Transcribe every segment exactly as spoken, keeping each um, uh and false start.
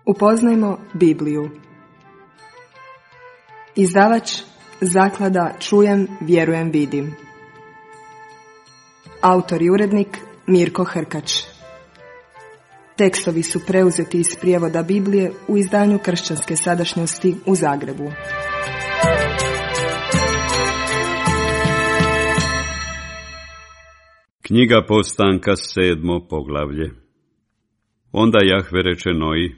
Upoznajmo Bibliju. Izdavač Zaklada Čujem, vjerujem, vidim. Autor i urednik Mirko Hrkač. Tekstovi su preuzeti iz prijevoda Biblije u izdanju Kršćanske sadašnjosti u Zagrebu. Knjiga Postanka, sedmo poglavlje. Onda Jahve reče Noji: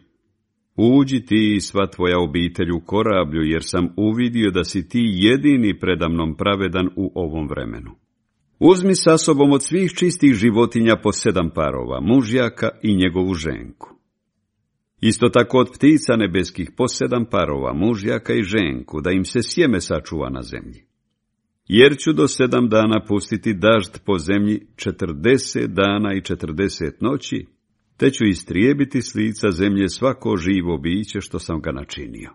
Uđi ti i sva tvoja obitelj u korablju, jer sam uvidio da si ti jedini predamnom pravedan u ovom vremenu. Uzmi sa sobom od svih čistih životinja po sedam parova, mužjaka i njegovu ženku. Isto tako od ptica nebeskih po sedam parova, mužjaka i ženku, da im se sjeme sačuva na zemlji. Jer ću do sedam dana pustiti dažd po zemlji četrdeset dana i četrdeset noći, te ću istrijebiti s lica zemlje svako živo biće što sam ga načinio.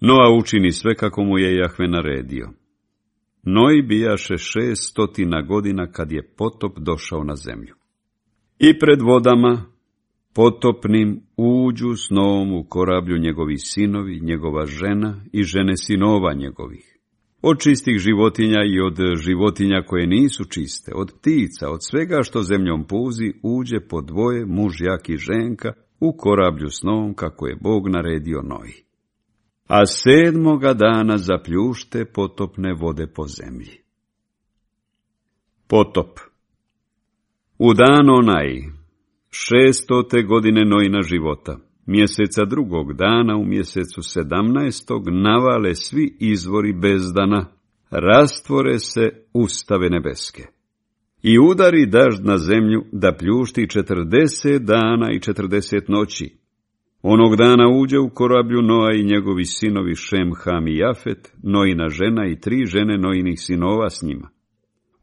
Noa učini sve kako mu je Jahve naredio. Noji bijaše šest stotina godina kad je potop došao na zemlju. I pred vodama potopnim uđu s Noom u korablju njegovi sinovi, njegova žena i žene sinova njegovih. Od čistih životinja i od životinja koje nisu čiste, od ptica, od svega što zemljom puzi, uđe po dvoje, mužjak i ženka, u korablju s Noom kako je Bog naredio Noji. A sedmoga dana zapljušte potopne vode po zemlji. Potop. U dan onaj, šestote godine Nojina života, mjeseca drugog dana u mjesecu sedamnaestog, navale svi izvori bezdana, rastvore se ustave nebeske. I udari dažd na zemlju da pljušti četrdeset dana i četrdeset noći. Onog dana uđe u korablju Noa i njegovi sinovi Šem, Ham i Jafet, Nojina žena i tri žene Nojinih sinova s njima.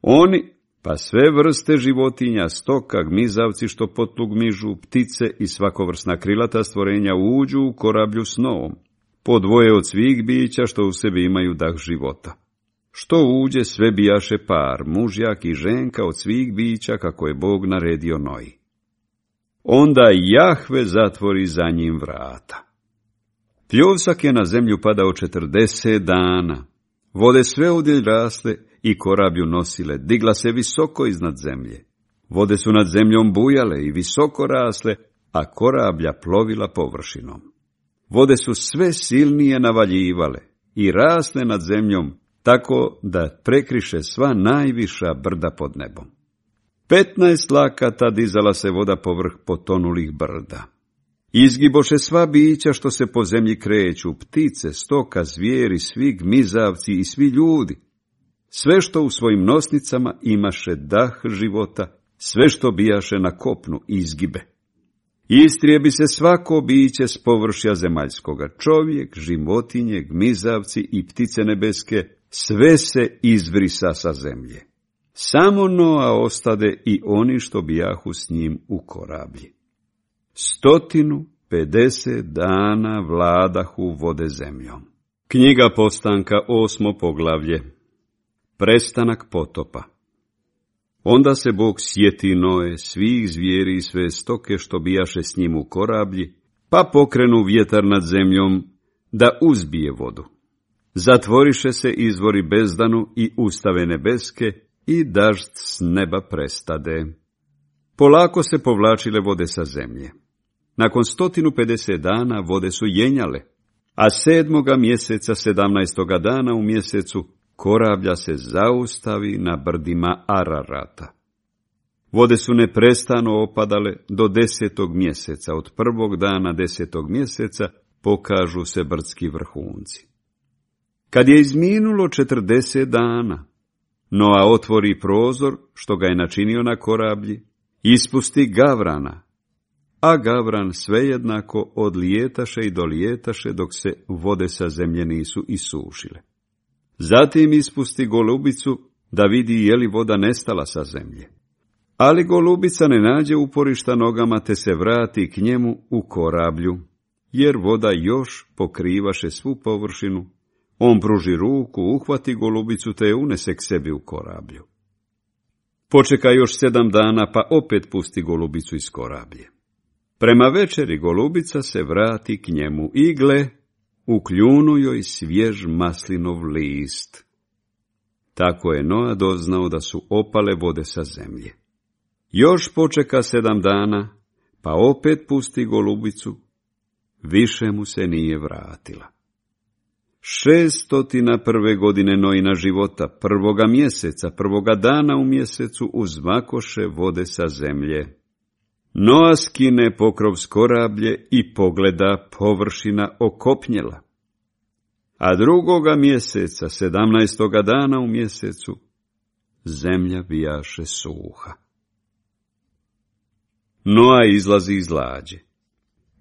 Oni, pa sve vrste životinja, stoka, gmizavci što potlug mižu, ptice i svakovrsna krilata stvorenja uđu u korablju s Noom, po dvoje od svih bića što u sebi imaju dah života. Što uđe, sve bijaše par, mužjak i ženka od svih bića kako je Bog naredio Noji. Onda Jahve zatvori za njim vrata. Pljusak je na zemlju padao četrdeset dana, vode sve udjelj rasle i korablju nosile, digla se visoko iznad zemlje. Vode su nad zemljom bujale i visoko rasle, a korablja plovila površinom. Vode su sve silnije navaljivale i rasle nad zemljom, tako da prekriše sva najviša brda pod nebom. Petnaest lakata dizala se voda povrh potonulih brda. Izgiboše sva bića što se po zemlji kreću, ptice, stoka, zvijeri, svi gmizavci i svi ljudi. Sve što u svojim nosnicama imaše dah života, sve što bijaše na kopnu izgibe. Istrijebi se svako biće s površja zemaljskoga, čovjek, životinje, gmizavci i ptice nebeske, sve se izvrisa sa zemlje. Samo Noa ostade i oni što bijahu s njim u korablji. Stotinu pedeset dana vladahu vode zemljom. Knjiga Postanka, osmo poglavlje. Prestanak potopa. Onda se Bog sjeti Noe, svih zvijeri i sve stoke što bijaše s njim u korablji, pa pokrenu vjetar nad zemljom da uzbije vodu. Zatvoriše se izvori bezdanu i ustave nebeske i dažd s neba prestade. Polako se povlačile vode sa zemlje. Nakon stotinu pedeset dana vode su jenjale, a sedmoga mjeseca sedamnaestoga dana u mjesecu korablja se zaustavi na brdima Ararata. Vode su neprestano opadale do desetog mjeseca, od prvog dana desetog mjeseca pokažu se brdski vrhunci. Kad je izminulo četrdeset dana, Noa otvori prozor što ga je načinio na korablji, ispusti gavrana, a gavran svejednako odlijetaše i dolijetaše dok se vode sa zemlje nisu isušile. Zatim ispusti golubicu da vidi je li voda nestala sa zemlje. Ali golubica ne nađe uporišta nogama te se vrati k njemu u korablju, jer voda još pokrivaše svu površinu. On pruži ruku, uhvati golubicu te je unese k sebi u korablju. Počeka još sedam dana pa opet pusti golubicu iz korablje. Prema večeri golubica se vrati k njemu i gle, u kljunu joj svjež maslinov list. Tako je Noa doznao da su opale vode sa zemlje. Još počeka sedam dana, pa opet pusti golubicu, više mu se nije vratila. Šestotina prve godine Noina života, prvoga mjeseca, prvoga dana u mjesecu, uzmakoše vode sa zemlje. Noa skine pokrov s korablje i pogleda, površina okopnjela. A drugoga mjeseca, sedamnaestoga dana u mjesecu, zemlja bijaše suha. Noa izlazi iz lađe.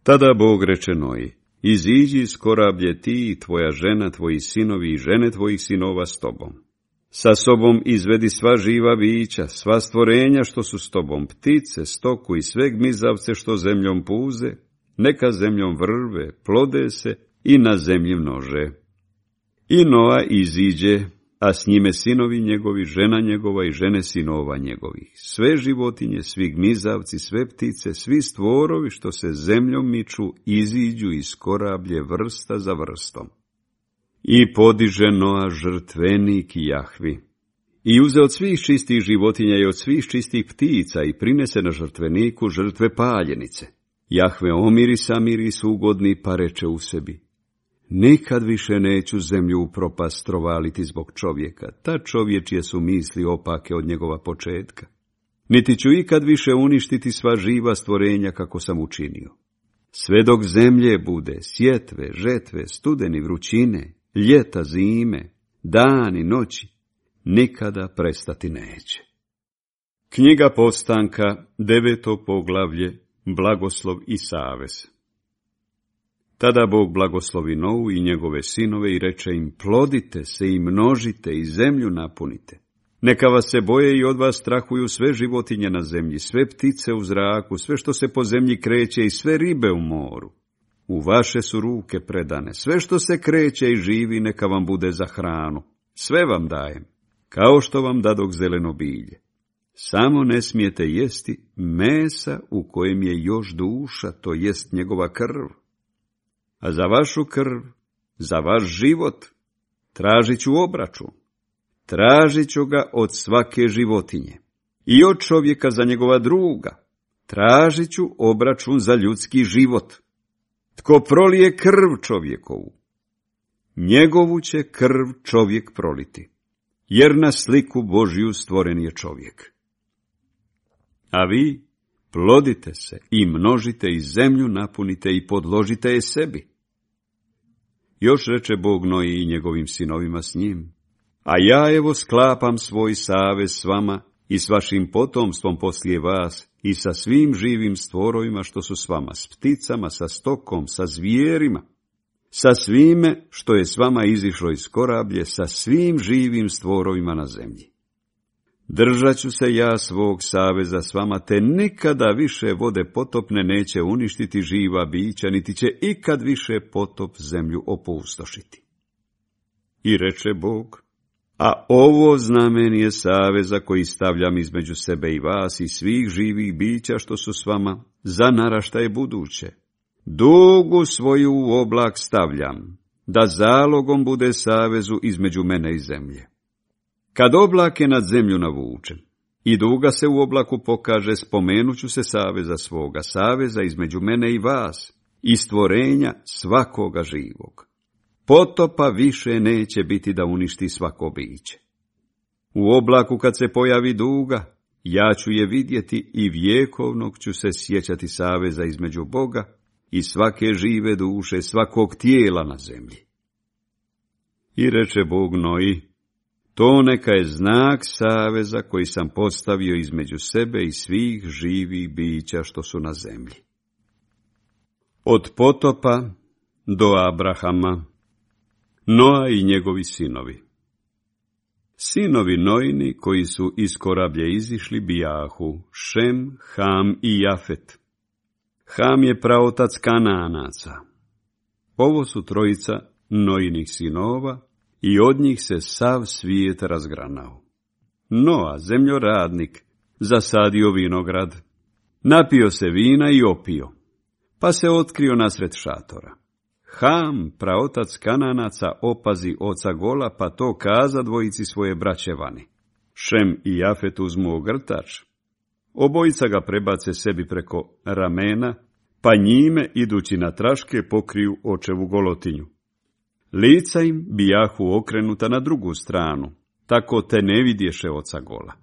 Tada Bog reče Noji: iziđi iz korablje ti i tvoja žena, tvoji sinovi i žene tvojih sinova s tobom. Sa sobom izvedi sva živa bića, sva stvorenja što su s tobom, ptice, stoku i sve gmizavce što zemljom puze, neka zemljom vrve, plode se i na zemlji množe. I Noa iziđe, a s njime sinovi njegovi, žena njegova i žene sinova njegovih, sve životinje, svi gmizavci, sve ptice, svi stvorovi što se zemljom miču, iziđu iz korablje vrsta za vrstom. I podiže Noa žrtvenik Jahvi. I uze od svih čistih životinja i od svih čistih ptica i prinese na žrtveniku žrtve paljenice. Jahve omirisa miris ugodni, pa reče u sebi: nikad više neću zemlju u propast trovaliti zbog čovjeka, ta čovječje su misli opake od njegova početka. Niti ću ikad više uništiti sva živa stvorenja kako sam učinio. Sve dok zemlje bude, sjetve, žetve, studeni, vrućine, ljeta, zime, dani, noći, nikada prestati neće. Knjiga Postanka, deveto poglavlje, blagoslov i savez. Tada Bog blagoslovi Novu i njegove sinove i reče im: plodite se i množite i zemlju napunite. Neka vas se boje i od vas strahuju sve životinje na zemlji, sve ptice u zraku, sve što se po zemlji kreće i sve ribe u moru. U vaše su ruke predane, sve što se kreće i živi neka vam bude za hranu. Sve vam dajem, kao što vam dadok zeleno bilje. Samo ne smijete jesti mesa u kojem je još duša, to jest njegova krv. A za vašu krv, za vaš život, tražit ću obračun. Tražit ću ga od svake životinje. I od čovjeka za njegova druga. Tražit ću obračun za ljudski život. Tko prolije krv čovjekovu, njegovu će krv čovjek proliti, jer na sliku Božju stvoren je čovjek. A vi plodite se i množite i zemlju napunite i podložite je sebi. Još reče Bog Noji i njegovim sinovima s njim: a ja evo sklapam svoj savez s vama i s vašim potomstvom poslije vas i sa svim živim stvorovima što su s vama, s pticama, sa stokom, sa zvijerima, sa svime što je s vama izišlo iz korablje, sa svim živim stvorovima na zemlji. Držat ću se ja svog saveza s vama, te nikada više vode potopne neće uništiti živa bića, niti će ikad više potop zemlju opustošiti. I reče Bog: a ovo znamen je saveza koji stavljam između sebe i vas i svih živih bića što su s vama za naraštaje buduće. Dugu svoju u oblak stavljam, da zalogom bude savezu između mene i zemlje. Kad oblak je nad zemlju navučen i duga se u oblaku pokaže, spomenut ću se saveza svoga, saveza između mene i vas i stvorenja svakoga živog. Potopa više neće biti da uništi svako biće. U oblaku kad se pojavi duga, ja ću je vidjeti i vjekovnog ću se sjećati saveza između Boga i svake žive duše, svakog tijela na zemlji. I reče Bog Noji: to neka je znak saveza koji sam postavio između sebe i svih živih bića što su na zemlji. Od potopa do Abrahama, Noa i njegovi sinovi. Sinovi Noini koji su iz korablje izišli bijahu, Šem, Ham i Jafet. Ham je praotac Kanaanaca. Ovo su trojica Noinih sinova i od njih se sav svijet razgranao. Noa, zemljoradnik, zasadio vinograd, napio se vina i opio. pa se otkrio nasred šatora. Ham, praotac Kananaca, opazi oca Gola, pa to kaza dvojici svoje braće vani. Šem i Jafet uzmu ogrtač. Obojica ga prebace sebi preko ramena, pa njime, idući na traške, pokriju očevu golotinju. Lica im bijahu okrenuta na drugu stranu, tako te ne vidješe oca Gola.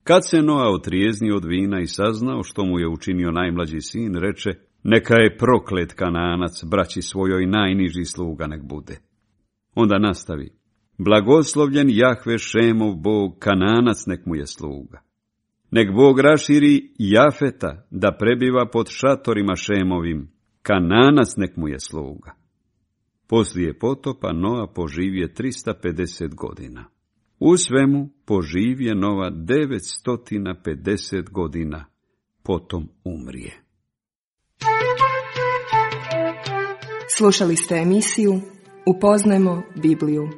Kad se Noa otrijeznio od vina i saznao što mu je učinio najmlađi sin, reče: neka je proklet Kananac, braći svojoj najniži sluga nek bude. Onda nastavi: blagoslovljen Jahve Šemov Bog, Kananac nek mu je sluga. Nek Bog raširi Jafeta da prebiva pod šatorima Šemovim, Kananac nek mu je sluga. Poslije potopa Noa poživje trista pedeset godina. U svemu poživje Noa devetsto pedeset godina, potom umrije. Slušali ste emisiju Upoznajmo Bibliju.